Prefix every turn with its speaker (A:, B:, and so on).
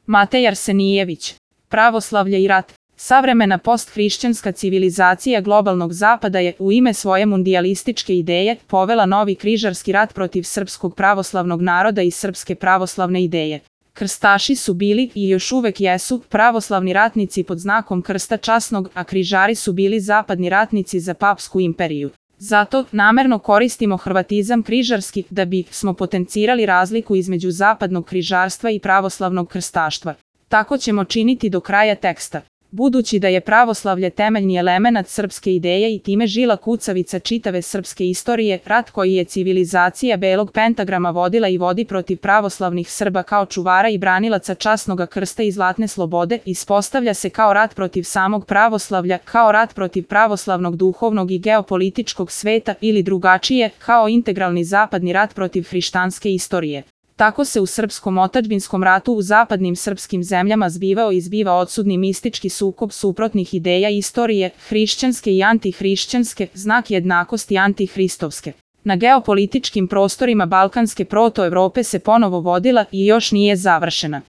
A: Matej Arsenijević. Pravoslavlje i rat. Savremena posthrišćanska civilizacija globalnog zapada je u ime svoje mundijalističke ideje povela novi križarski rat protiv srpskog pravoslavnog naroda i srpske pravoslavne ideje. Krstaši su bili i još uvek jesu pravoslavni ratnici pod znakom krsta časnog, a križari su bili zapadni ratnici za papsku imperiju. Zato namerno koristimo hrvatizam križarski da bi smo potencirali razliku između zapadnog križarstva i pravoslavnog krstaštva. Tako ćemo činiti do kraja teksta. Budući da je pravoslavlje temeljni element srpske ideje i time žila kucavica čitave srpske istorije, rat koji je civilizacija belog pentagrama vodila i vodi protiv pravoslavnih Srba kao čuvara i branilaca časnoga krsta i zlatne slobode, ispostavlja se kao rat protiv samog pravoslavlja, kao rat protiv pravoslavnog duhovnog i geopolitičkog sveta ili drugačije, kao integralni zapadni rat protiv hrišćanske istorije. Tako se u srpskom otadžbinskom ratu u zapadnim srpskim zemljama zbivao i zbiva odsudni mistički sukob suprotnih ideja istorije, hrišćanske i antihrišćanske, znak jednakosti antihristovske. Na geopolitičkim prostorima Balkanske protoevrope se ponovo vodila i još nije završena.